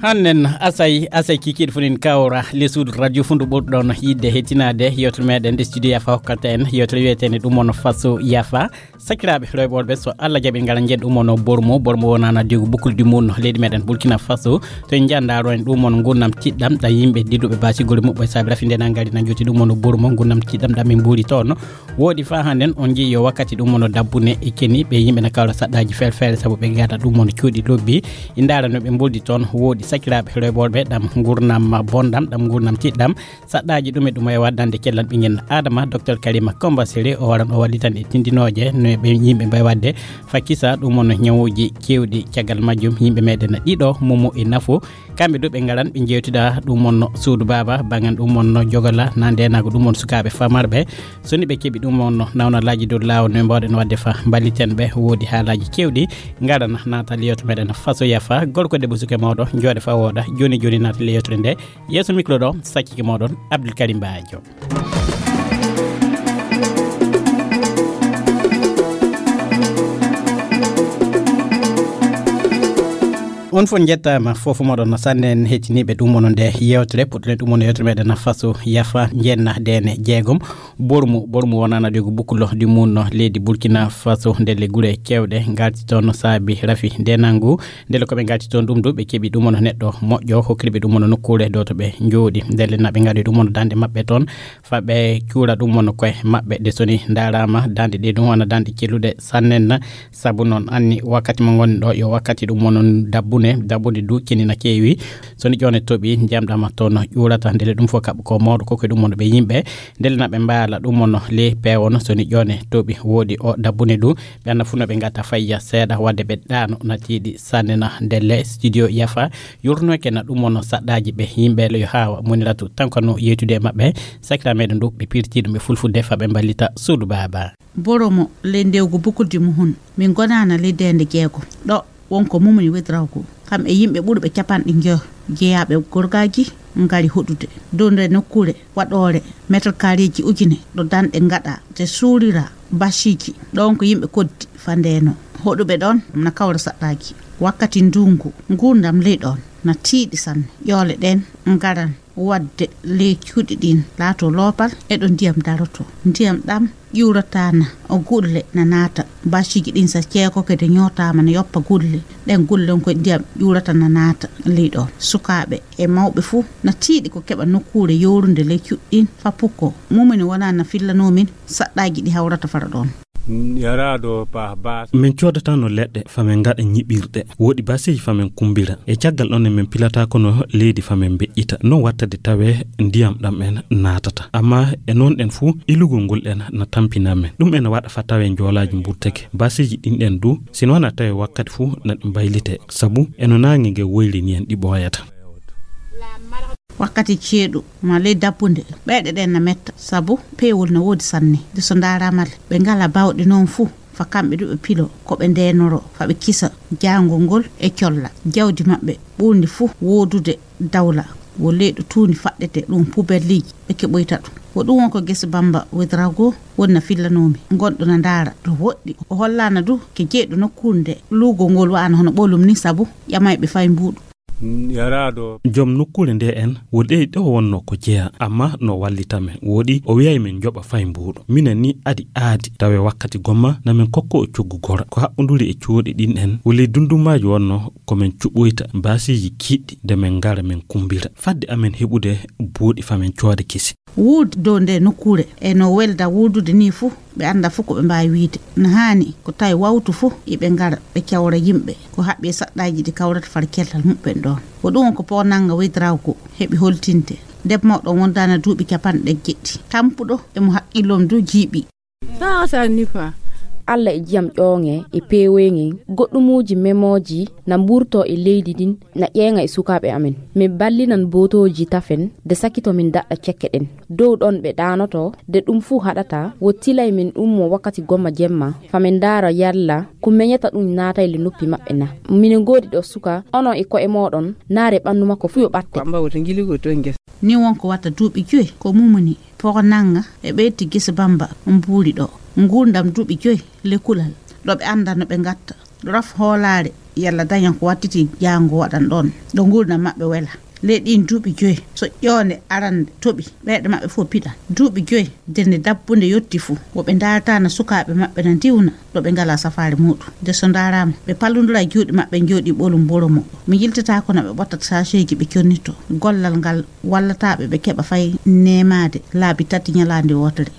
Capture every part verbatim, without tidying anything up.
Annen asay asay kikiiɗe fof nin kawra le suudu radio fundu ɓurɗon yiɗde hettinaade yewtere meɗen nde studio yafa hokkata en yewtere wiyeteende ɗum on faso yafa. Sakiraaɓe rewɓe worɓe, so Allah jaɓi ngala njen ɗum on bormo bormo wonana digu bukkuldi mum leydi meɗen Burkina Faso. To en njandaro en ɗum on ngurnam tiɗɗam ɗa yimɓe dilluɓe basigol muɓɓo e saabi rafi nde na ngari na joti ɗum on bormo ngurnam tiɗɗam ɗam min mbuuri toon. Woodi faa hannden on njii yo wakkati ɗum mono dabbune e keni ɓe yimɓe na kawra saɗɗaaji feere feere sabu ɓe ngata ɗum mono cuuɗi lobbi. I ndaara no ɓe mboldi toon woodi sakiraaɓe rewɓe worɓe ɗam ngurnam bonɗam ɗam ngurnam tiɗɗam. Saɗɗaaji ɗum e ɗum e waddande cellal ɓinngel adama docteur karima comba sere o waran o wallitan e tindinooje no ɓe yimɓe mbawi waɗde. Fakkisa ɗum mono ñawuuji keewɗi caggal majjum yimɓe meɗen ɗiɗo momo e nafo. Kamɓe du ɓe ngaran ɓe jewtida ɗum wonno suudu baaba bangan ɗum wonno jogola na ndenago ɗum won sukaaɓe famarɓe. So ni ɓe keɓi ɗum wonno nawnalaaji dow laawol no mbawɗen waɗde fa mballiten ɓe woodi haalaaji kewɗi. Ngarana natal yewto meɗen faso yafa gorko debbo suke mawɗo jooɗe fa wooɗa. Joni joni natal yewtere nde yeeso micro ɗo sakkike moɗon abdoul karim bajo. On fof njettaama fof moɗon no sanne en hettiniiɓe ɗum wono nde yewtere puɗɗuɗen ɗum wono yewtere meɗen faso yafa njenna dene jeegom. Bormu bormu wonana ɗigo bukkulo ɗi munno leydi burkina faso ndelle gure kewɗe ngarti toon saabi rafi ndenangu. Ndelle koɓe ngarti toon ɗum du ɓe keɓi ɗum wono neɗɗo moƴƴo hokkiriɓe ɗum wono nokkuure dow to ɓe njooɗi ndelle naɓe ngaɗi ɗum wono dande maɓɓe toon. Fa ɓe cuura ɗum wona koye maɓɓe nde soni ndarama dande ɗe ɗum wona dande celluɗe sannen. Sabu noon anni wakkati mo ngonɗo yo wakkati ɗum wono dabbune dabbune du kenina keewi. Soni ƴone toɓi ndiyam ɗama toon ƴuurata ndele ɗum fof kaɓɓa ko mawɗo koko ɗum wona ɓe yimɓe. Ndele na ɓe mbaala ɗum wono le peewono soni ƴone toɓi woodi o dabbune du. Ɓe anna fuu no ɓe ngata fayya seeɗa wadde ɓe ɗaano natiiɗi sannena ndelle studio yafa. Yurnoyke na ɗum wono saɗɗaaji ɓe yimɓe le yo haawa moniratu tan kono yeytude e maɓɓe. Sakira meɗen ɗo ɓe pirti ɗum ɓe fulfulde fa ɓe mballita suudu baaba. Boromo ley ndewgo bukuldi muhun min gonaana ley deende jeego ɗo wonko mumni wedrawgo kam e yimɓe ɓurɓe capanɗe njo jeyaaɓe gorgaaji ngari hoɗude dow nde nokkuure waɗoore meter kareeji ujune ɗo danɗe ngaɗa te suurira basiiji. Ɗoon ko yimɓe koddi fa ndeeno hoɗuɓe ɗoon na kawra saɗɗaaji wakkati ndunngu. Nguurndam ley ɗoon na tiiɗi sanne. Ƴoole ɗeen ngaran waɗde ley cuuɗi ɗiin laatoo loopal e ɗo ndiyam darotoo. Ndiyam ɗam ƴuurataana o gulle na naata basiiji ɗin sa ceekoke de ñootaama na yoppa gulle ɗen gulle on ko ndiyam ƴuurata na naata ley ɗoon. Sukaaɓe e mawɓe fuu na tiiɗi ko keɓa nokkuure yowrunde ley cuuɗi ɗiin fa pukko. Mumini wonaa na fillanoo min saɗɗaaji ɗi hawrata fara ɗoon. Min coodatano leɗɗe fa min ngaɗa ñiɓirɗe woɗi baseji fa min kumbira e caggal ɗon e min pilata kono leydi fa min mbeƴƴita non wattade tawe ndiyam ɗam en naatata amma e non ɗen fuu ilugol ngol ɗen na tampina men ɗum ene waɗa fa tawe njoolaaji mburteke baseji ɗin ɗen du sino wona tawe wakkati fuu na ɗi mbaylite sabu eno naange nge woyri ni en ɗi ɓooyata. Wakkati ceeɗu ma ley dabbude ɓeyɗe ɗen na metta sabu peewol na woodi sanne de so ndaaraama le ɓe ngala baawɗe noon fuu fa kamɓe du ɓe pilo ko ɓe ndeenoro fa ɓe kisa jaangol ngol e colla jawdi maɓɓe ɓurndi fuu woodude dawla wo leyɗo tuundi faɗɗete ɗum pubelliiji ɓe keɓoyta ɗum wo ɗum won ko gese bamba wedrago wonna fillanoomi ngonɗo na ndaara ɗo woɗɗi o hollaana du ke jeyɗo nokkuunde luugol ngol wa'ano hono ɓolum ni sabu ƴamayɓe fay mbuuɗu. Joom nokkuure nde en wo ɗey ɗo wonno ko jeya amma no wallita men woɗi o wiyay min joɓa fay mbuuɗo minen ni adi aadi tawe wakkati gomma na min kokko o coggu gora ko haɓɓoduri e cuuɗi ɗin en wo ley dundumaaji wonno ko min cuɓoyta baasiiji kiɗɗi nde min ngara min kumbira fadde amen heɓude buuɗi fa min cooda kesi. Wuud dow nde nokkuure e no welda wuudude ni fuu ɓe annda fuu ko ɓe mbaawi wiyde. No haani ko tawi wawtu fuu iɓe ngara ɓe cawra yimɓe ko haɓɓi e saɗɗaaji ɗi kawrata far cellal muɓɓen ɗoon. Ko ɗum ko poonannga weydirawgo heɓi holtinde. Ndeb mawɗo on wondaana duuɓi capanɗe jeɗɗi. Tampuɗo e mo haqqillom du jiiɓi. Saasa nifa. Allah e jiyam ƴooŋe e peewoyŋe goɗɗumuuji memooji na mburtoo e leydi ndin na ƴeeŋa e sukaaɓe amen. Min ballinan bootooji tafen de sakito min daɗɗa cekke ɗen. Dow ɗon ɓe ɗaanotoo de ɗum fuu haɗataa wo tilay min ɗum mo wakkati gomma jemma fa min ndaara yalla ko meñata ɗum naatay le noppi maɓɓe na. Minen ngoodi ɗo suka onon e ko'e mooɗon naare ɓanndu makko fuu yo ɓatte. Ni won ko watta duuɓi joyi ko mumuni poko nannga e ɓeydti gese bamba mbuuri ɗo nguurndam duuɓi joyi le kulal ɗo ɓe annda no ɓe ngatta ɗo raf hoolaare Yalla dañan ko wattiti jaango waɗan ɗoon, ɗo nguurndam maɓɓe wela. Ley ɗiin duuɓi joyi, so ƴoonde arande toɓi, ɓeyɗe maɓɓe fof piɗan. Duuɓi joyi, denne dabbunde yotti fuu, wo ɓe ndaartaana sukaaɓe maɓɓe na ndiwna, ɗo ɓe ngalaa safaari muuɗum. Nde so ndaaraama, ɓe pallondira e juuɗe maɓɓe, njooɗii ɓolum boromo. Mi yiltataako no ɓe ɓottata saaseeji ɓe connitoo. Gollal ngal wallataaɓe ɓe keɓa fay neemaade laabi tati ñalaande wootere.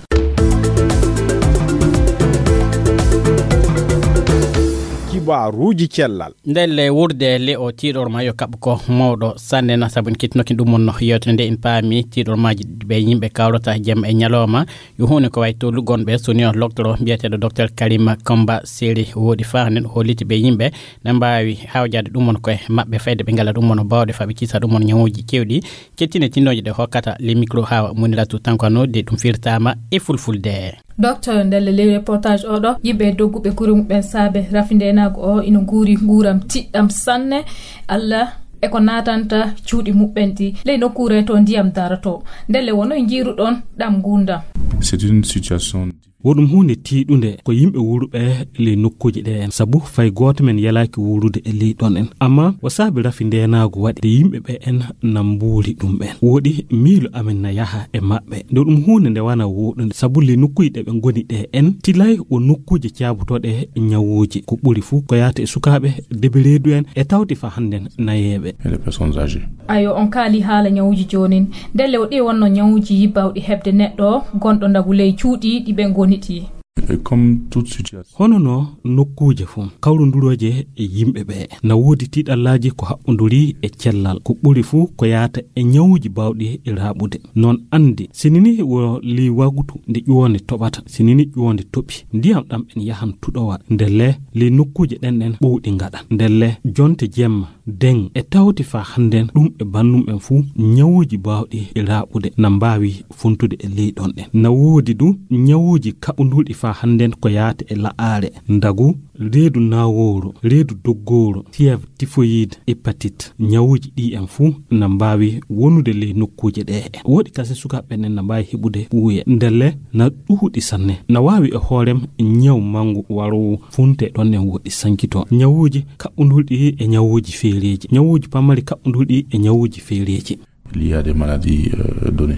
Kibaaruuji cellal. Ndelle wurde le o tiiɗor ma yo kaɓ ko mawɗo sanne na sabu en kettinooki ɗum mon no yewtere nde en paami tiiɗor maaji ɓe yimɓe kawrata jemma e ñalawma. Yo huune ko wayi tollu gonɓe soni o loctoro mbiyeteeɗo docteur Karima Kamba Seri woodi faa nden holliti ɓe yimɓe na mbaawi hawjaade ɗum mon koye maɓɓe fayde ɓe ngala ɗum mon bawɗe faa ɓe kisa ɗum mon ñawuuji kewɗi. Kettine tinnooje ɗe hokkata le micro hawa muniratu tankano de ɗum firtaama e fulfulde. Docteur, ndelle ley reportage oɗo, yimɓe dogguɓe gure muɓɓen saabe rafi ndenaagu o ino nguuri nguuram tiɗɗam sanne. Allah e ko naatanta cuuɗi muɓɓen ɗi ley nokkuure to ndiyam daroto. Ndelle wono e njiiruɗon ɗam nguurndam. C'est une situation. Wo ɗum huunde tiiɗunde ko yimɓe wuuruɓe ley nokkuuji ɗe en, sabu fay gooto men yalaaki wuurude e ley ɗon en. Amma wo saabi rafi ndeenaagu waɗi nde yimɓe ɓe en na mbuuri ɗum ɓen. Woɗi miilo amen na yaha e maɓɓe. Nde ɗum huunde nde wana wooɗunde, sabu ley nokkuuji ɗe ɓe ngoni ɗe en, tilay wo nokkuuje caabutoɗe ñawuuji. Ko ɓuri fuu ko yaata e sukaaɓe, debe reedu en, e tawti fa hannden nayeeɓe. Et les personnes âgées. Ayo, on kaali haala ñawuuji joonin. Ndelle o ɗi wonno ñawuuji bawɗi heɓde neɗɗo gonɗo ndagu ley cuuɗi ɗi ɓe ngoni ɗi. Et comme toute situation. Hono no nokkuuje fof, kawrondurooje e yimɓe ɓe, na woodi tiiɗallaaji ko haɓɓonduri e cellal. Ko ɓuri fuu ko yaata e ñawuuji baawɗi raaɓude. Noon anndi, sinini wo ley wagutu nde ƴuwonde toɓata, sinini ƴuwonde toɓi, ndiyam ɗam en yahan tuɗowa. Ndelle, ley nokkuuje ɗen ɗen ɓowɗi ngaɗa. Ndelle, jonte jemma, deŋ e tawti faa hannden ɗum e bannum en fuu, ñawuuji baawɗi e raaɓude na mbaawi funtude e ley ɗon ɗen. Na woodi du ñawuuji kaɓundurɗi faa hannden ko yaata e la'aare, ndagu, reedu naawooru, reedu doggooru, fièvre typhoïde, hépatite. Ñawuuji ɗi en fuu na mbaawi wonude ley nokkuuje ɗe. Woodi kasin sukaaɓe ɓen na mbaawi heɓude ɓuuye. Ndelle na ɗuuɗi sanne. Na waawi e hoorem ñaw manngu waroowo funte ɗon en woɗɗi sankito. Ñawuuji kaɓɓundurɗi e ñawuuji feereeji. Ñawuuji pamari kaɓɓundurɗi e ñawuuji feereeji. Il y a des maladies, euh, données.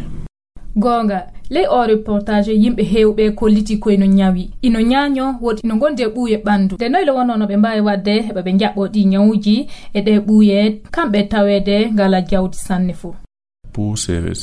Goonga, ley oo reportage yimɓe heewɓe kolliti ko ino ñawi. Ino ñaaño, woodi ino ngondi e ɓuuye ɓanndu. Nde noyle wonnoo no ɓe mbaawi waɗde heɓa ɓe njaɓɓoo ɗi ñawuuji e ɗe ɓuuye, kamɓe taweede ngala jawdi sanne fof.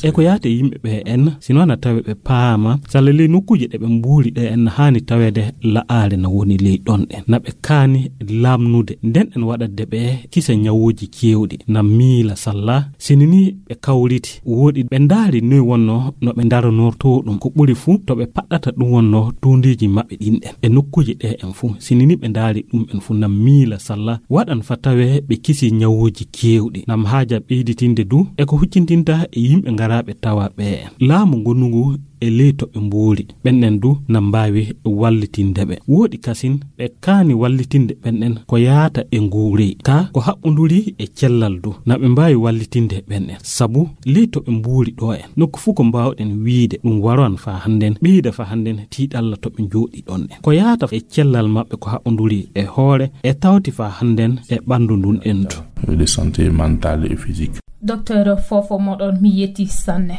E ko yaata e yimɓe ɓe en, sino na tawe ɓe paama, salla ley nokkuuje ɗe ɓe mbuuri ɗe en, na haani taweede la'aare na woni ley ɗon ɗen. Na ɓe kaani laamnude, nden en waɗatde ɓe kisa ñawuuji keewɗi, na miila salla, sini ni ɓe kawriti, woɗi ɓe ndaari noy wonnoo no ɓe ndaronortoo ɗum. Ko ɓuri fuu to ɓe paɗɗata ɗum wonnoo tuundiiji maɓɓe ɗin ɗen. E nokkuuje ɗe en fuu, sini ni ɓe ndaari ɗum en fuu, na miila salla, waɗan fa tawee ɓe kisi ñawuuji keewɗi. Nam haaja ɓeyditinde du e ko huccintinta e yimɓe ngaraaɓe tawa ɓe en. Laamu ngonungu e ley to ɓe mboori, ɓen ɗen du na mbaawi wallitinde ɓe. Wooɗi kasin ɓe kaani wallitinde ɓen ɗen ko yaata e nguurey, ka ko haɓɓunduri e cellal du, na ɓe mbaawi wallitinde ɓen ɗen. Sabu ley to ɓe mboori ɗo en, nokku fuu ko mbaawɗen wiide ɗum waroan fa hannden, ɓeyda fa hannden tiiɗalla to ɓe njooɗi ɗon ɗen. Ko yaata e cellal maɓɓe ko haɓɓunduri e hoore e tawti fa hannden e ɓanndu ndun endu. De santé mentale et physique. Docteur Fofo moɗon, mi yetti sanne.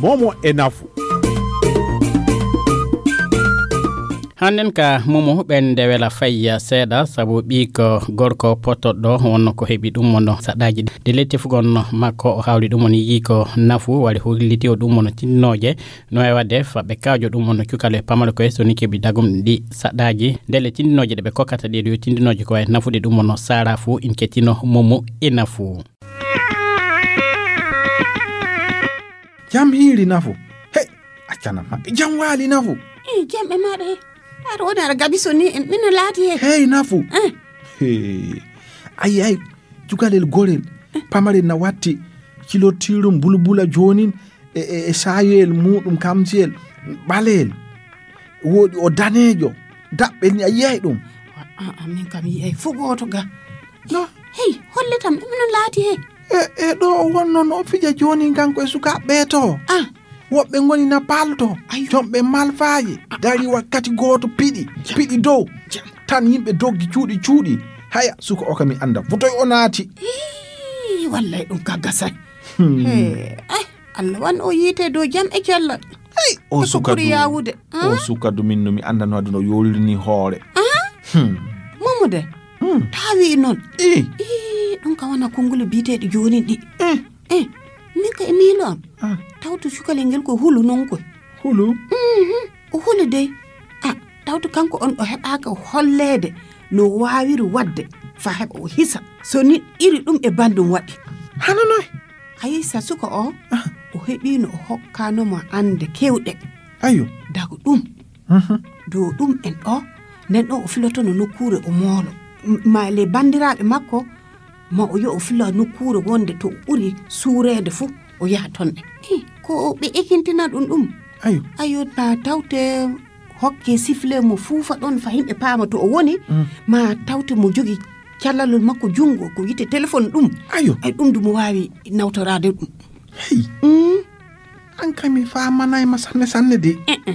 Momo e nafu. Hannden ka momo ɓen nde wela fayya seeɗa, sabu ɓiiko gorko pottoɗo wonno ko heɓi ɗum wonno saɗaaji ɗi. Nde letti fugon makko o hawri ɗum woni yii ko nafu, wari holliti o ɗum wonno tindinooje. No e waɗde fa ɓe kaajo ɗum wonno cukale pamare koye so ni keɓi dagum ɗi saɗaaji. Ndelle tindinooje ɗe ɓe kokkata ɗe ɗo tindinooje ko wayi nafude ɗum wonno saara fuu in kettino momo e nafu. Jam hiiri nafu. Hey, accana maɓɓe. Jam waali nafu. Eh, jam e maɗa he. Aɗa woni aɗa gabi so ni en ɓinno laati he. Hey, nafu. Eh. Hey. Ayi, ayi, cukalel gorel. Eh. Pamarel na watti. Cilortiirum bulbula joonin. E, e, e saayel muɗum kamsiyel ɓaleyel. Wooɗi o daneejo. Daɓɓel ni a yiyay ɗum. A, a, min kam yiyay fo gooto ga. No? Hey, hollitam, ɗum no laati he. E, e ɗo o wonno no o fija jooni kanko e sukaaɓe ɓe to. Ah. Woɓɓe ngoni na palto, Ayo. Jomɓe malfaaji, dari wakkati gooto piɗi, Jam. Piɗi dow. Jam. Tan yimɓe doggi cuuɗi cuuɗi. Haya, suka o ka mi annda. Fotoy o naati. Ii, wallay ɗum ka gasay. Hmm. He, ay, Allah wan o yiite dow jam e cellal. Ay, o Ko suka ɓuri du. Yaawude. O Hmm? Suka du min no mi annda no aduna o yoolini hoore. Hmm? Hmm. Momo de. Hmm. Taa wi'i noon. Ii. Ii, ɗum ka wona konnguli biyeteeɗi joonin ɗi. Eh. Eh, min ka e miilo am. Ah. Tawto cukalel ngel ko hulu non koy. Hulu? Mhm. O huli dey. Ah, tawto kanko on o heɓaaka holleede no waawiri waɗde fa heɓa o hisa. So ni iri ɗum e banndum waɗi. Hano noy? Ayi, sa suka o, Ah. O heɓiino o hokkaano mo annde kewɗe. Ayo. Dago ɗum. Mhm. Dow ɗum en o, nden o, o filotono nokkuure o moolo. M-, ma le banndiraaɓe makko, ma o yo o filo nokkuure wonde to o ɓuri suureede fuu, o yaha toon ɗe. Hi, ko ɓe ekintina ɗum ɗum. Ayo. Ayo, na tawte hokke sifle mo fuufa ɗon fa yimɓe paama to o woni, Mm. Ma tawte mo jogi callalol makko junngo, ko wiyetee téléphone ɗum. Ayo. Ay, ɗum du mo waawi nawtoraade ɗum. Hey. Mm. An kam mi faamanaay ma sanne sanne de. Eh, eh.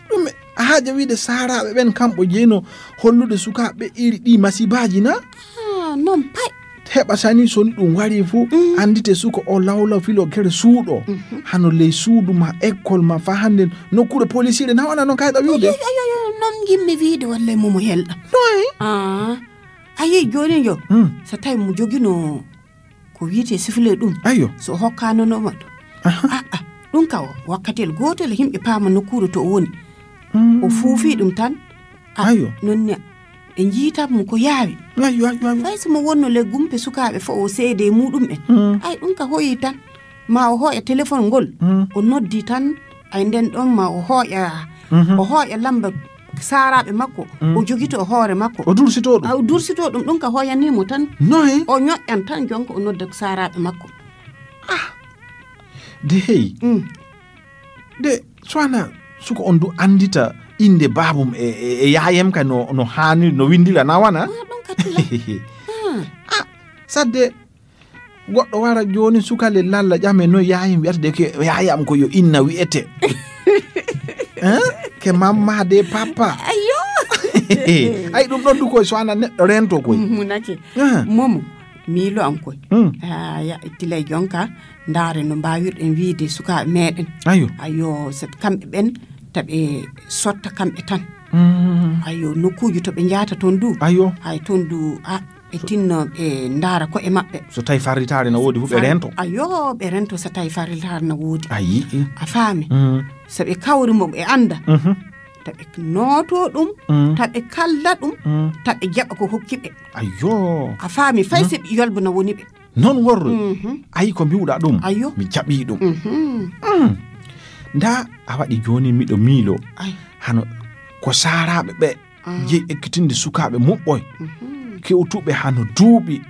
Ɗum a haaja wiide saaraaɓe ɓen kamɓe jeyno hollude sukaaɓe iri ɗi masibaaji na? Ah, non pay. Heɓa sani so ni ɗum wari fu, Mm. Anndite suka o lawlaw filo gere suuɗo. Mhm. Hano ley suudu ma, école ma, fa hannde nokkuure polisiire na wona non kayɗa wiide? Ayo, ayo, ayo, non yimɓe wiide walla mo mo helɗa. Noy? Ah, ayi jooni yo. Mm. So tawi mo jogino ko wiyetee sifle ɗum. Ayo. So hokkaano no ma ɗum. Aha. Ah, ah, ɗum ka o, wakkati el gooto le yimɓe paama nokkuure to o woni. Mm. O fuufi ɗum tan. Ah, Ayo. Non ne, ɓe njiita mo ko yaawi. Ayo, ayo, ayo. Fay so mo wonno le gumpe sukaaɓe fo o seede e muɗum en. Mm. Ay, ɗum ka hoyi tan. Ma o hooƴa téléphone ngol. Mm. O noddi tan. Ay, nden ɗon ma o hooƴa. Mhm. O hooƴa lamba saaraaɓe makko. Mm. O jogito hoore makko. O dursito ɗum. A, o dursito ɗum, ɗum ka hooyanii mo tan. Noy? O ñoƴƴan tan jonka o nodda saaraaɓe makko. Ah. De hey. Mm. De, so wana suka on du anndita innde baabum e, e, e yaayam ka no, no haani, no winndira na wana? Ah, ɗum ka tila. Ah. Ah, sadde goɗɗo wara jooni suka le lalla ƴame no yaayam wiyata de ke yaayam ko yo inna wiyete. Hein? Ke mamma de papa. Ayo. Ay, ɗum ɗon du koy so wana neɗɗo rento koy. Munake. Ah. Momo, miilo am koy. Mm. Ah, ya, tilay jonka. Ndaare no mbaawirɗen wiide sukaaɓe meeɗen. Ayo. Ayo, sabi kamɓe ɓen, taɓe sotta kamɓe tan. Mm. Ayo, nokkuuji to ɓe njahata toon du. Ayo. Ay, toon du, a, ɓe tinno ɓe ndaara ko'e maɓɓe. So tawi farritaare na woodi fu, ɓe Far-, rento. Ayo, ɓe rento so tawi farritaare na woodi. Ayi. A faami? Mm. So ɓe kawri mo ɓe annda. Mhm. Taɓe nooto ɗum, Mm. Taɓe kalla ɗum, Mm. Taɓe jaɓa ko hokki ɓe. Ayo. A faami, fay Mm. so ɓe yolbo na woni ɓe. Non worre. Mhm. Ayi ko mbiwɗa ɗum? Ayo. Mi jaɓi ɗum. Mhm. Mm. Nda a waɗi jooni miɗo miilo. Ay. Hano ko saaraaɓe ɓe Ah. Jeyi ekkitinde sukaaɓe muɓɓoy. Mhm. Kewtuɓe hano duuɓi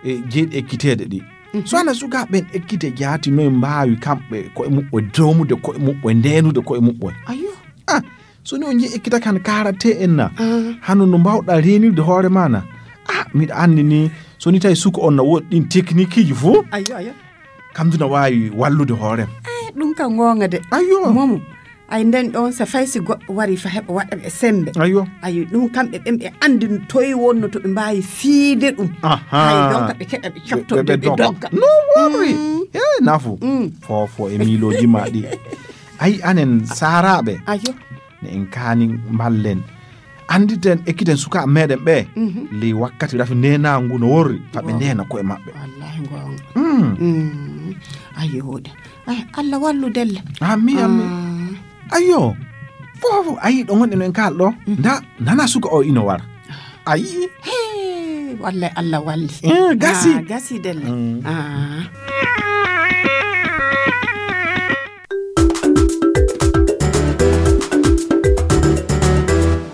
e jeyi ekkiteede ɗi. Mhm. So hana sukaaɓe ɓen ekkite jaati noy mbaawi kamɓe ko'e muɓɓoy doomude ko'e muɓɓoy, ndeenude ko'e muɓɓoy? Ayo. Ah, so ni on jeyi ekkitaka han kaarate en na? Ah. Hano no mbaawɗa reenirde hoore ma na? Ah, miɗa anndi ni, so ni tawi suka on na woodi ɗin teknikiiji fof, Ayo, ayo. Kam duna waawi wallude hoorem. Eh, ɗum ka ngoonga de. Ayo. Momo. Ay nden ɗon so fay si goɗɗo wari fa heɓa waɗa ɓe sembe. Ayo. Ayo, ɗum kamɓe ɓen ɓe anndi toy wonno to ɓe mbaawi fiide ɗum. Aha. Ay, donc ɓe keɗa ɓe cofto Ɓe, ɓe, ɓe ɓe dogga. Dogga. No worry. Mm. Eh, nafu. Mm. Fofo e miilooji ma ɗi. Ay, anen saaraaɓe. Ayo. Ne en kaani mballen. Annditen, ekkiten sukaaɓe meɗen ɓe. Mhm. Ley wakkati rafi neenaangu ngu no worri. Fa ɓe Wow. Ndeena ko'e maɓɓe. Wallahi ngoonga. Mm. Mm. Ayo, de. Ay, Allah wallu delle. Amin, amin. Ah. Ayo. Fofo, ayi ɗo ngonɗen en kaal ɗo. Mhm. Nda, nana suka o ino wara. Ayi. Hey, wallahi Allah walli. Eh, gasi. Ah, gasi delle. Mm. Ah.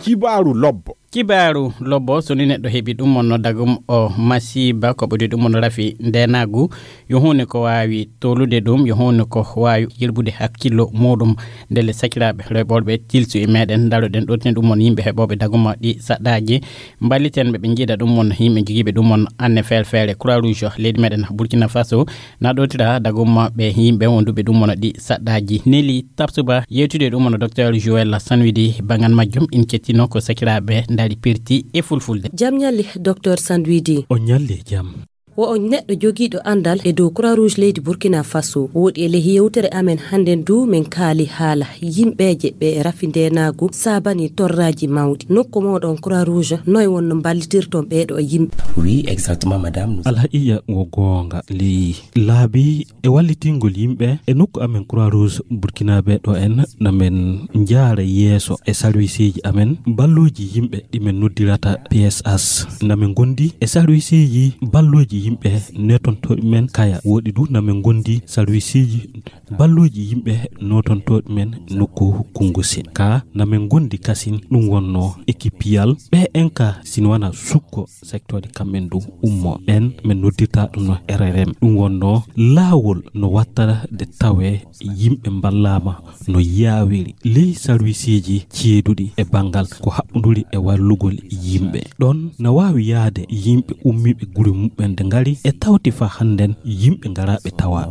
Kibaaru lobbo. Kibaaru lobbo, so ni neɗɗo heɓi ɗum wonno dagum o masiiba, ko ɓuri ɗum wonno rafi ndenaagu, yo huunde ko waawi tolude ɗum, yo huunde ko waawi yilbude hakkillo muɗum. Ndelle sakiraaɓe rewɓe worɓe, tilsu e meɗen, ndaroɗen ɗottinde ɗum won yimɓe heɓooɓe daguma ɗi saɗɗaaji, mballiten ɓe, ɓe njiida ɗum won yimɓe jogiiɓe ɗum won anne feere feere. Croix Rouge leydi meɗen Burkina Faso na ɗottira daguma ɓe yimɓe wonduɓe ɗum won ɗi saɗɗaaji. Neli Tapsuba yewtude ɗum won Docteur Joël Sanwidi banngal majjum. In cettino ko sakiraaɓe ndari pirti e fulfulde. Jam ñalli, Docteur Sanwidi. On ñalli e jam. Wo on neɗɗo jogiiɗo anndal e dow Croix Rouge leydi Burkina Faso. Woɗi e ley yewtere amen hannden du, min kaali haala yimɓeeje ɓe rafi ndeenaagu saabani torraaji mawɗi. Nokku mooɗon Croix Rouge, noy wonno mballitirton ɓeeɗo yimɓe? Oui, exactement, madame. Nous Alhaqiiqa wo goonga, ley laabi e wallitingol yimɓe e nokku amen Croix Rouge Burkinabé ɗo en, na men njaara yeeso e sarwisiiji amen, balluuji yimɓe ɗi men noddirata P S H. Na men ngondi e sarwisiiji balluuji yimɓe netontooɓe men kaya. Woɗi du na men ngondi sarwisiiji balluuji yimɓe notontooɓe men nokku Kungusin. Ka na men ngondi kasin ɗum wonno ekipiyal. Ɓe en ka sin wana sukko secteur kamɓen du ummo. Ɓen men noddirta ɗum no R R M. Ɗum wonno laawol no wattata de tawe yimɓe mballaama no yaawiri ley sarwisiiji ceeduɗi e banngal ko haɓɓunduri e wallugol yimɓe. Ɗon na waawi yaade yimɓe ummiiɓe guri muɓɓen de ngari e tawti fa hannden yimɓe ngaraaɓe tawa.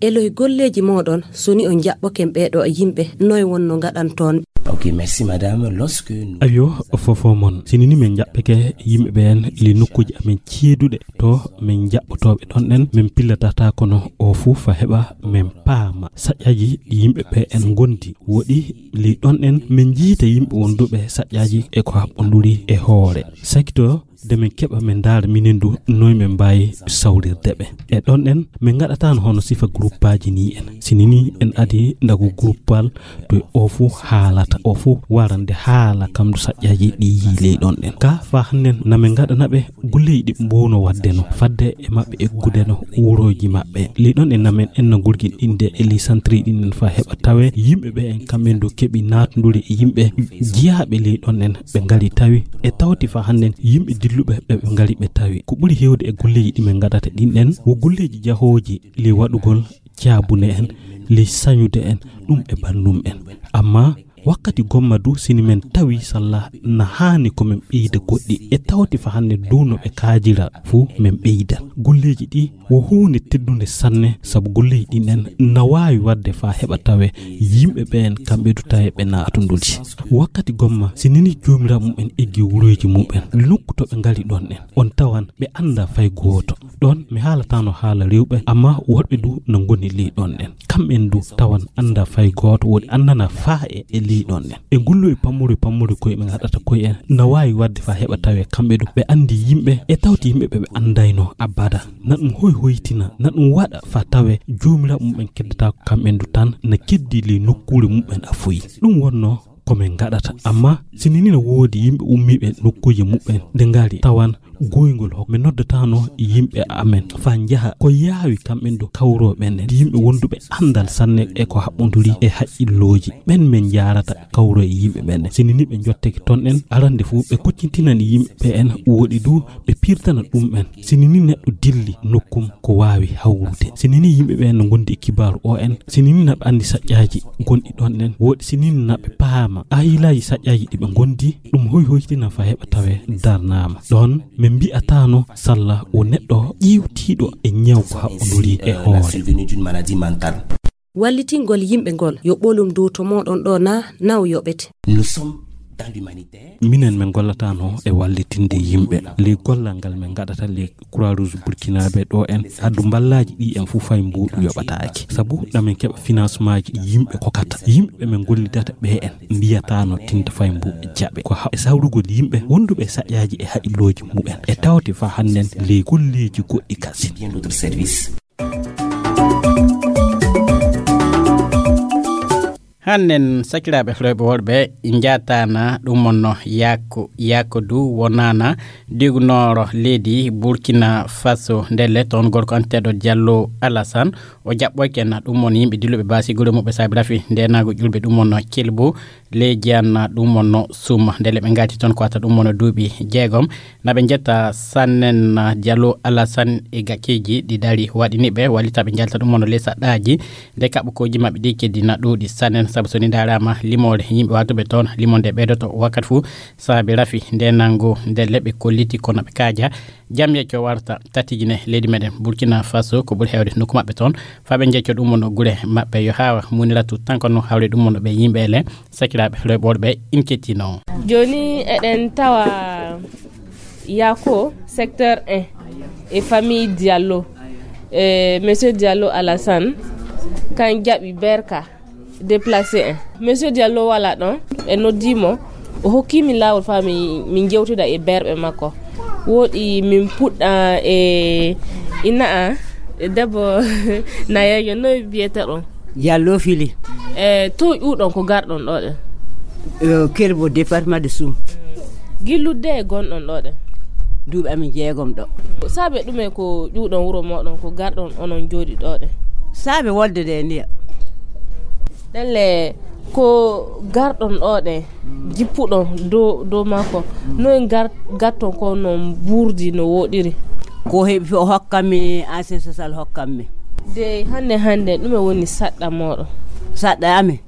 Eloy golleeji mooɗon, so ni on njaɓɓoken ɓeeɗo yimɓe, noy wonno ngaɗanton? Ok, merci madame. Lorsque nous Ayo, fofo mon. Sinini men njaɓɓeke yimɓe ɓeen li nokkuuji amen ceeduɗe to men njaɓɓotooɓe ɗon ɗen, men pillatata kono o fuu fa heɓa men paama saƴƴaaji ɗi yimɓe ɓe en ngondi. Woɗi li ɗon ɗen men njiita yimɓe wonduɓe saƴƴaaji e ko haɓɓonduri e hoore. Sakito de men keɓa men ndaara minen du noy men mbaawi sawrirde ɓe. E ɗon ɗen men ngaɗataano hono sifa gruppaaji ni en. Sinini en adi ndagu gruppal to o fuu haalata, o fuu warande haala kam du saƴƴaaji ɗi yii ley ɗon ɗen. Ka fa hannden na men ngaɗana ɓe golleeji ɗi ɓe mboowno waɗde no fadde e maɓɓe eggude no wurooji maɓɓe. Ley ɗon ɗen na men enna gurgin ɗinde e ley santiri ɗin en fa heɓa tawe yimɓe ɓe en kamɓe du keɓi naatnduri e yimɓe jiyaaɓe ley ɗon ɗen ɓe ngari tawi e tawti fa hannden yimɓe dilluɓe ɓe ɓe ngari ɓe tawi. Ko ɓuri heewde e golleeji ɗi men ngaɗata ɗin ɗen wo golleeji jahooji ley waɗugol caabune en, ley sañude en, ɗum e banndum en. Amma wakkati gomma du sini men tawi salla na haani ko men ɓeyda goɗɗi e tawti fa hannde du no ɓe kaajira fuu men ɓeyda. Golleeji ɗi wo huunde teddunde sanne sabu golleeji ɗin en na waawi waɗde fa heɓa tawe yimɓe ɓeen kamɓe du tawe ɓe naatunduri. Wakkati gomma si nini joomiraaɓe mumen eggi wuroyji mumen nokku to ɓe ngari ɗon en, on tawan ɓe annda fay gooto. Ɗon mi haalataano haala rewɓe, amma worɓe du no ngoni ley ɗon en. Kamɓen du tawan annda fay gooto, woni anndana faa e, e ley ɗon en. E ngulluy pammuri pammuri koye ɓe ngaɗata koye en, na waawi waɗde faa heɓa tawe kamɓe du ɓe anndi yimɓe e tawti yimɓe ɓe ɓe anndayno abada. Na ɗum hoy hoytina, na ɗum waɗa faa tawe joomiraaɓe mumen keddataako kamɓen du tan na keddi ley nokkuure mumen a foyi. Ɗum wonno ko min ngaɗata. Amma si ni na woodi yimɓe ummiiɓe nokkuuje muɓɓen, nde ngari tawan goyngol hok, min noddataano yimɓe amen faa njaha ko yaawi kamɓen du kawroo ɓen en yimɓe wonduɓe anndal sanne e ko haɓɓonduri e haqqillooji. Ɓen min njaarata kawroo e yimɓe ɓen en. Si ni ɓe njottake ton en, arande fuu ɓe koccintinani yimɓe ɓe en, woɗi du ɓe piirtana ɗum en. Si ni neɗɗo dilli nokkum ko waawi hawrude. Si ni yimɓe ɓe no ngondi e kibaaru o en, si ni na ɓe anndi saƴƴaaji gonɗi ɗon en, woɗi si ni na ɓe paama aayilaaji saƴƴaaji ɗi ɓe ngondi, ɗum hoy hoytina faa heɓa tawe darnaama. Ɗon min mbi'ataano salla wo neɗɗo ƴiiwtiiɗo e ñaw ko haɓɓonduri e hoore. Wallitingol yimɓe ngol yo ɓolum dow to mooɗon ɗo na naw yoɓete. Nous sommes dans l'humanitaire. Minen min gollataano e wallitinde yimɓe. Ley gollal ngal min ngaɗata ley Croix Rouge Burkinabé ɗo en, addu mballaaji ɗi en fuu fay mbuuɗu yoɓataake. Sabu ɗamin keɓa financement ji ɗi yimɓe kokata. Yimɓe ɓe min gollidata ɓe en mbiyataano tinta fay mbuuɗu jaɓe. Ko ha-, e sawrugol yimɓe wonduɓe e saƴƴaaji e haqqillooji mumen. E tawte faa hannden ley golleeji goɗɗi kasin. Bien d'autres services. Hannen sakiraaɓe rewɓe worɓe, njaataana ɗum wonno Yaako, Yaako du wonaana diwnooro leydi Burkina Faso. Ndelle toon gorko anteeɗo Diallo Alassane, o jaɓɓoyke na ɗum won yimɓe dilluɓe baasi gure muɓɓe saabi rafi ndenaagu ƴulɓe ɗum wonno Kelbo, leydi an ɗum wonno Suma. Ndelle ɓe ngaati toon ko wata ɗum wonno duuɓi jeegom. Na ɓe njetta sannen Diallo Alassane e gakkeeji ɗi dari waɗini ɓe wallita ɓe njalta ɗum wonno ley saɗɗaaji. Nde kaɓɓo kooji maɓɓe ɗi keddi na ɗuuɗi sannen, sabu so ni ndaaraama limoore yimɓe waatuɓe toon, limonde ɓeydoto wakkati fuu, saabi rafi nde nanngo nde leɓɓe kolliti kono ɓe kaaja. Jam yecco warta tatijine leydi meɗen Burkina Faso, ko ɓuri heewde nokku maɓɓe toon. Faa ɓe njecco ɗum wonno gure maɓɓe yo haawa muniratu tan kono hawre ɗum wonno ɓe yimɓe ele sakiraaɓe rewɓe worɓe in kettino. Jooni eɗen tawa Yako, secteur un, e famille Diallo, e monsieur Diallo Alassane, kan jaɓi berka déplacé un. Monsieur Diallo wala ɗon, ɓe noddi mo, o hokki min laawol faa min, min jewtida e berɓe makko. Woɗi min puɗɗa e ina a, e debbo nayeejo, noy biyete ɗon? Diallo Fili. E to ƴuuɗon ko garɗon ɗo ɗen? Eh, Kelbo, département de Soum. Gillude e gonɗon ɗo ɗen? Duuɓi amin jeegom ɗo. Saabe ɗume ko ƴuuɗon wuro moɗon ko garɗon onon jooɗi ɗo ɗen? Saabe wolde de ndiya. Ɗelle ko garɗon ɗo ɗen, jippuɗon dow, dow makko. Noy gar-, gatton ko non burdi no woɗiri? Ko heɓi o hokkammi ancien social hokkammi. De hannde, hannde, ɗume woni saɗɗa moɗon? Saɗɗa amin.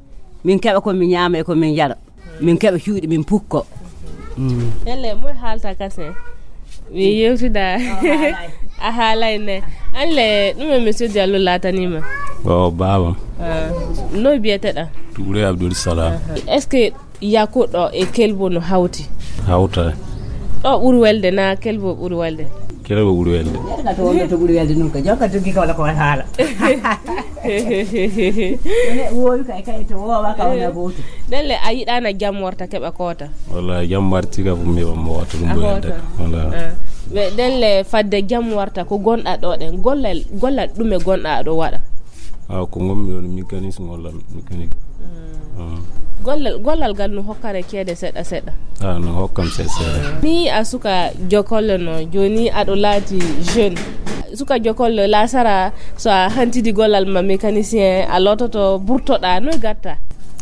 Min keɓa ko min ñaama e ko min yara. Min keɓa cuuɗi, min pukko. Mm. Ɗelle, moy haalta kasen? Mi yewtida. A haalay. A haalay ne. Anle, ɗume monsieur Diallo laatanima? O baabam. Ah, no biyeteɗa? Tuure Abdul Salam. Aha. Est-ce que Yakuɗo e Kelbo no hawti? Hawta. Ɗo ɓuri welde na Kelbo ɓuri welde? Kelbo ɓuri welde. Yadda ka to wonno to ɓuri welde nun ka, jonka doggi ka wala ko wala haala. Wowi kay, kay to wowa ka wona goto. Ɗelle a yiɗana jam warta keɓa koota? Walla jam warti ka fu mi heɓa mo wata ɗum. A ɓuri hoota. Welde. Walla. Ah. Ɓe ɗelle fadde jam warta ko gonɗa ɗo ɗen. Gollal, gollal ɗume gonɗa ɗo waɗa? Ah, ko ngonmi ɗo, mécanicien, walla mécanique. Mm. Mm. Gollal, gollal ngal no hokkare ceede seɗɗa seɗɗa? Ah, no hokkam seeɗa seeɗa. Ni a suka jokolle no, joni aɗo laati jeune. Suka jokolle lasara, so a hantidi gollal ma mécanicien, a lototo, burtoɗa, no gatta?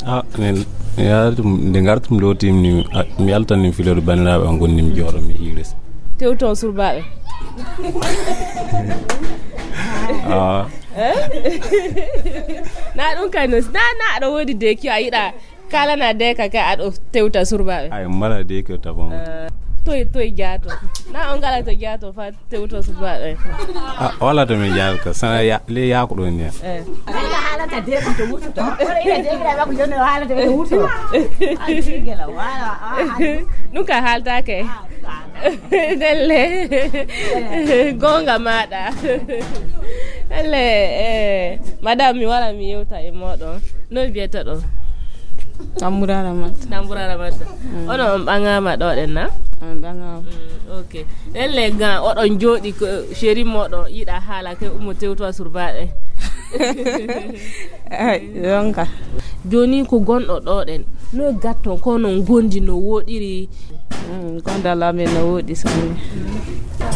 Ah, min, mi yaari ɗum, nde ngartum lootim ni, ah, mi altan nin filooɗo banndiraaɓe am ngonnim jooɗo mi hiires. Tewton surbaaɓe. Ah. Eh? Na ɗum kay no, na, na aɗa woodi de ki a yiɗa kalana de ka, ka aɗo tewta surbaaɓe. Ay, mbaɗa de ki o tabon. Eh, toy, toy jaato. Na on ngala to jaato fa tewto surbaaɓe. Ah, wala to min jaato ka. Sana ya, le ya ko ɗon ne. Eh. Ala haalata de ko to wututo. Wala ina de ko ba ko jonne haalata ko wututo. Ay, sigela, wala, ah, ah. Ɗum ka haaltake. Ah, ah. Delle. Gonga maɗa. Delle, eh, madame, mi wara mi yewta e moɗon. No biyete ɗon? Tambura Ramata. Tambura Ramata. Mm. Ono on ɓaŋama ɗo ɗen na? On ɓaŋama. Mm, ok. Delle ga oɗon jooɗi ko chéri moɗon yiɗa haala ke ummo tewto a surbaɗe. Ay, yonka. Joni ko gonɗo ɗo ɗen. No gatton ko non gondi no woɗiri. Mm, gondal amen no woɗi sanne.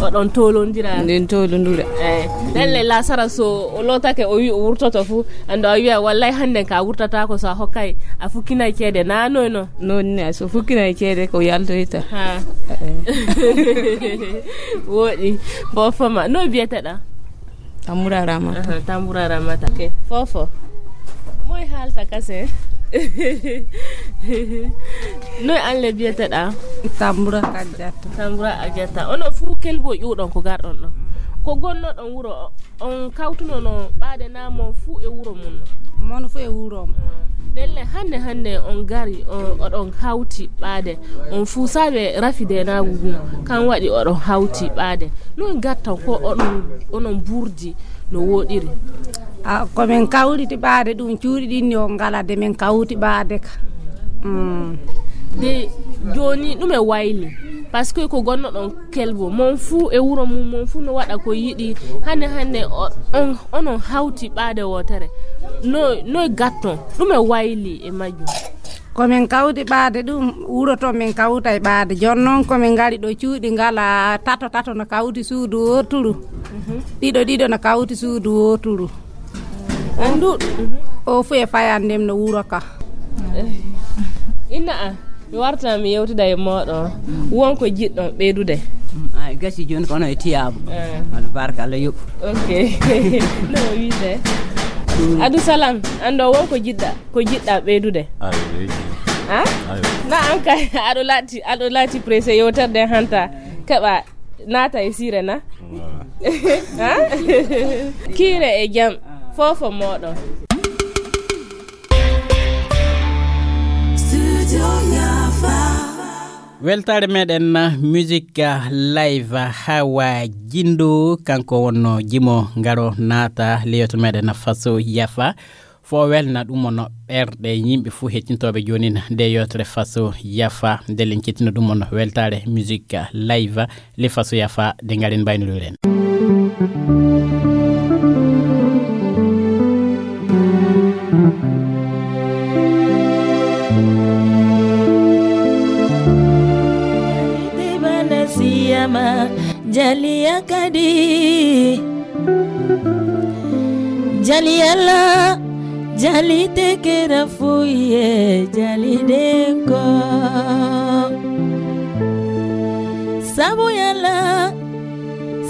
Oɗon tolondira? Min tolondira. Eh, ɗelle lasara so o lotake o wi o wurtoto fu, ando a wiya wallay hande ka wurtata ko so a hokkay a fukkinay ceede na noy no? Non ne, so fukkinay ceede ko yaltoyta. Ha. Eh. Woɗi. Bofama. No biyeteɗa? Tambura Ramata. Aha, Tambura Ramata. Ok. Fofo. Moy halta kase? Noy anle biyeteɗa? Tambura Kajata. Tambura Ajata. Ono fu kelbo ƴuɗon ko garɗon ɗo. Ko gonno ɗon wuro o-, on kawtuno no ɓaade na mon fu e wuro mun. Mon fu e wuro. Delle hande hande on gari on oɗon hawti ɓaade. On fu sabe rafi de na gugum. Kan waɗi oɗon hawti ɓaade. No gattan ko onon, onon burdi no woɗiri? A, ko min kawriti ɓaade ɗum, cuuɗi ɗin yo ngala de min kawti ɓaade ka. Mm. De joni ɗume wayli? Parce que ko gonno ɗon kelbo, mon fuu e wuro mum, mon fuu no waɗa ko yiɗi. Hande hande o-, on, onon hawti ɓaade wotere. No, no gatton. Ɗum e wayli e majjum. Ko min kawti ɓaade ɗum, wuro to min kawta e ɓaade. Jooni noon ko min ngari ɗo cuuɗi ngala tato tato no kawti suudu wooturu. Mhm. Ɗiɗo ɗiɗo no kawti suudu wooturu. Anndu o fu e fayande no wuro ka. Inna a, mi warta mi yewtida e mooɗon. Won ko jiɗɗon ɓeydude? Mm, ay, gasi jooni kono e tiyaabu. Eh. Albarka, Allah yoɓ. Ok. No wiyde? Adu salam, anndo won ko jiɗɗa, ko jiɗɗa ɓeydude? Ay, ay. Ha? Ay. Na an kay, aɗo laati, aɗo laati pressé yewtere nde hanta. Keɓa naata e siire na? Voilà. Ha? Kiire e jam, fofo mooɗon. Weltaare meɗen musique live, Hawa Gindo, kanko wonno jimo ngaro naata leyoto meɗen Faso Yafa. Fo welna ɗum on ɓerɗe yimɓe fuu hettintooɓe joonin nde yewtere Faso Yafa. Ndelen kettina ɗum on weltaare musique live le Faso Yafa de ngaren mbaynoɗen. Siyama jaliya kadi. Jali Yàlla, jali tekera fuye, jali denko. Sabu Yàlla,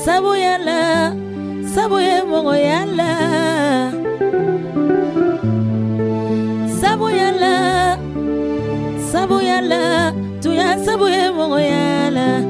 sabu Yàlla, sabu e mogo Yàlla. Sabu Yàlla, sabu Yàlla, tuya sabu e mogo Yàlla.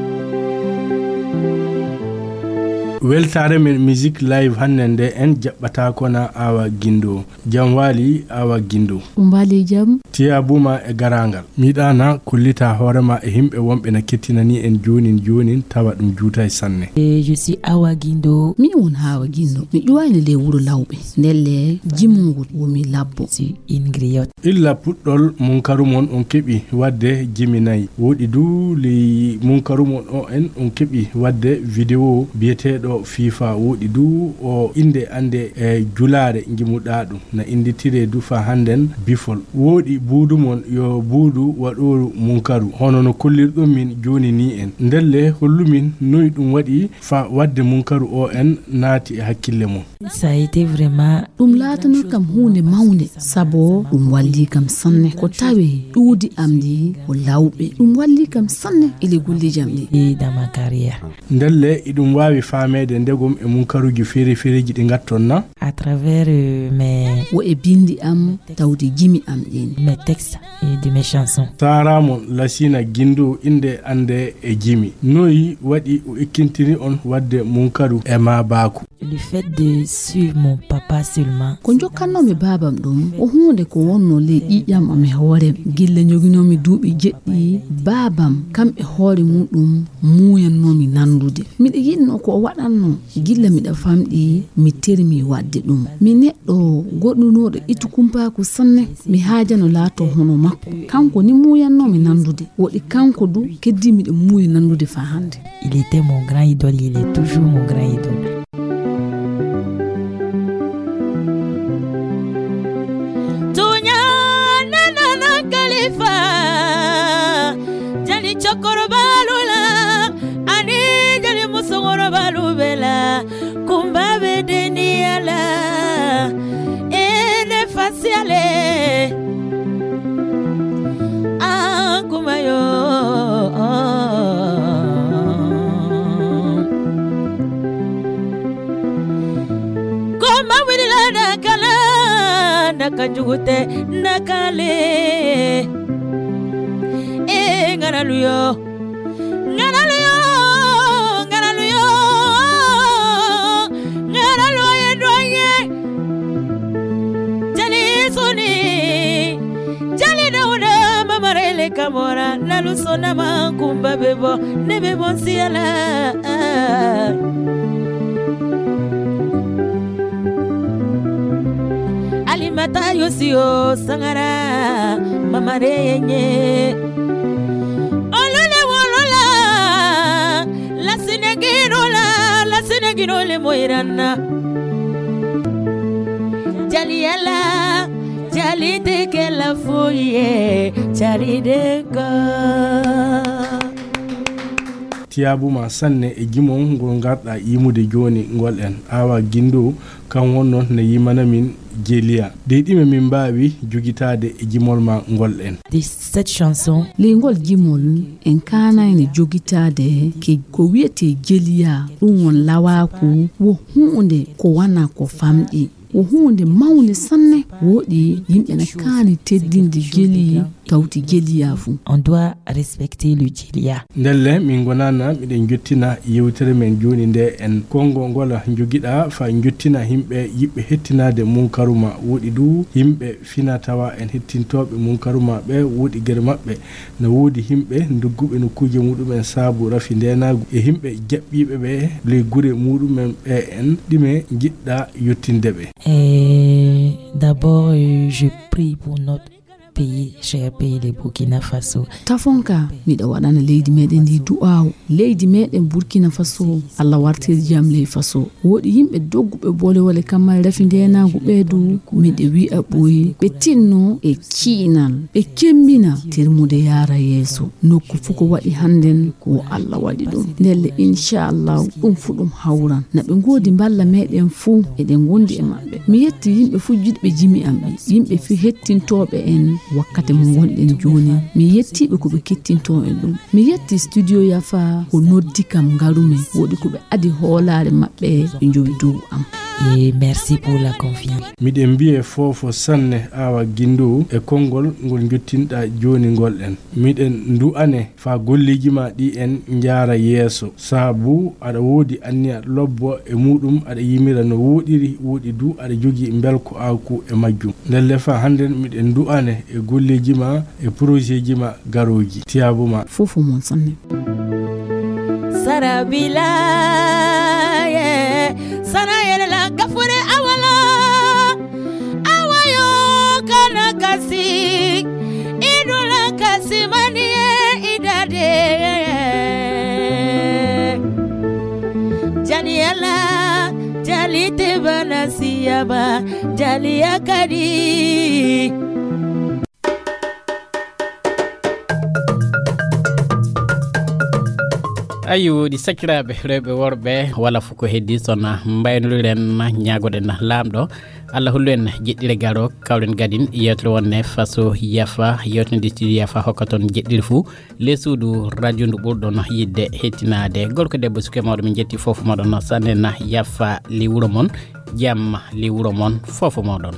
Weltaare men musique live hannde nde en jaɓɓata kona Awa Gindo. Jam waali Awa Gindo. Ɗum waali jam. Tiya buma e garangal. Miɗana kollita hoorema e himɓe wonɓe na kettinani en joonin joonin tawa ɗum juutay sanne. Eh, je suis Awa Gindo. Mi won Awa Gindo. Mi ƴuwayno le wuro lawɓe. Ndelle jimungol womi labbo. Si une griotte. Illa puɗɗol munkaru mon on keɓi wadde jimi nayi. Woɗi du ley munkaru mon o en on keɓi wadde vidéo biyeteeɗo FIFA. Woɗi du o innde annde e julaare ngimuɗaa ɗum. Na innditiree du faa hannden bifol. Woɗi buudu mon yo buudu waɗooru munkaru. Hono no kollirɗon min jooni nii en. Ndelle hollu min noy ɗum waɗi faa wadde munkaru o en naati e hakkille mon. Ça a été vraiment. Ɗum laatano kam huunde mawnde, sabo ɗum walli kam sanne. Ko tawi ƴuwdi am ndi ko lawɓe. Ɗum walli kam sanne e le golleeji am ɗi. Et dans ma carrière. Ndelle iɗum waawi faameede ndegom e munkaruuji feere-feereeji ɗi ngatton na? À travers, euh, mes. Wo e binndi am tawde jimi am ɗin. Mes textes et de mes chansons. Saaramon Lasina Gindo innde annde e jimi. Noy waɗi o ekkintini on wadde munkaru e maabaaku? Le fait de suivre mon papa seulement. Ko jokkannoomi baabam ɗum, ko huunde ko wonno ley ƴiiƴam am e hoore am. Gilla joginoomi duuɓi jeɗɗi, baabam kam e hoore muɗum muuyannoomi nanndude. Miɗa yiɗno ko o waɗanno, gilla miɗa famɗi, mi termi waɗde ɗum. Mi neɗɗo goɗɗunooɗo ittu kumpaaku sanne, mi haajano laato hono makko. Kanko ni muuyannoomi nanndude, woɗi kanko du keddii miɗa muuya nanndude faa hannde. Il était mon grand idole, il est toujours mon grand idole. Tunya nana na Khalifa, jali chokoro balula, ani jali musogoro balubela, kumba bedeni ala, ene fasiale. Ah, kuma yo. Kuma wili la da kala, da kanjugute, da kale. Eh, ngana luyo. Ngana luyo, ngana luyo, ngana luyo ye doye. Jali suni, jali Dawuda, mamarele kamora, na lusona ma kumba bebo, ne bebo siala. Alimata yosiyo sangara, mamare yenye. Olole wolola, la sineginola, la sineginole moiranna. Yala, jalite kela foye, jalide ko. Tiyabuma sanne e jimon ngol ngarɗa yimude joni ngol en. Awa Gindo, kan wonno ne yimana min Jeliya. Dey ɗime min mbaawi jogitaade e jimol ma ngol en. De cette chanson. Ley ngol jimol en kaanayne jogitaade ke ko wiyetee Jeliya, ɗum won lawaaku, wo huunde ko wana ko famɗi. Wo huunde mawnde sanne, woɗi yimɓe na kaani teddinde jeli, tawti jeliya fuu. On doit respecter le jeliya. Ndelle, min ngonana, miɗen jottina yewtere men jooni nde en. Konngol ngol njogiɗa fa jottina yimɓe yiɗɓe hettinaade munkaru ma. Woɗi du yimɓe fina tawa en hettintooɓe munkaru ma ɓe, woɗi gere maɓɓe. Na woodi yimɓe dogguɓe nokkuuje muɗum'en saabu rafi ndeenaagu e yimɓe jaɓɓiiɓe ɓe ley gure muɗum'en ɓe en, ɗime njiɗɗa yottinde ɓe? Eh, d'abord, euh, je prie pour notre pays, cher pays, le Burkina Faso. Tafonka, miɗo waɗana leydi meɗen ndi du'aawu. Leydi meɗen Burkina Faso, Allah wartir jam ley Faso. Woɗi yimɓe dogguɓe bolewole kamma rafi ndeenaagu ɓe du, miɗe wi'a ɓoy ɓe tinno e ciinal, ɓe kembina termude yaara yeeso. Nokku fuu ko waɗi hannden, wo Allah waɗi ɗum. Ndelle, inchallah, ɗum fuu ɗum hawran. Na ɓe ngoodi mballa meɗen fuu, eɗen ngondi e maɓɓe. Mi yetti yimɓe fuu jiɗɓe jimi am ɓe, yimɓe fuu hettintooɓe en wakkati mo ngonɗen jooni. Mi yetti ɓe ko ɓe kettinto en ɗum. Mi yetti studio Yafa ko noddi kam ngarumi, woɗi ko ɓe adi hoolaare maɓɓe ɓe njowi dow am. Et merci pour la confiance. Miɗen mbiye fofo sanne Awa Gindo e konngol ngol jottinɗa jooni ngol en. Miɗen du'ane fa golleeji ma ɗi en njaara yeeso. Saabu aɗa woodi anniya lobbo e muɗum, aɗa yimira no woɗiri, woɗi du aɗa jogii mbelko aaku e majjum. Ndelle fa hannden miɗen du'ane e golleeji ma e projetji ma garooji. Tiyaabu ma. Fofo mon sanne. Sarabila, yeah. Sana yɛlɛla gafure awala. Awayo kana kasi. Idula kasi mani idade. Janiyala, jalite bana siyaba, jaliya kadi. Ayi, woodi sakiraaɓe rewɓe worɓe, wala fof ko heddi sona mbaynoɗen, ñaagoɗen Laamɗo Allah hollu en jeɗɗire garo, kawren gadin yewtere wonne faso Yafa, yewtere nde studio Yafa hokka toon jeɗɗire fuu, le suudu radio ndu ɓurɗon yiɗde hettinaade. Gorko debbo suke mawɗo, min jetti fof moɗon, sannen Yafa li wuro mon, jamma li wuro mon, fof moɗon.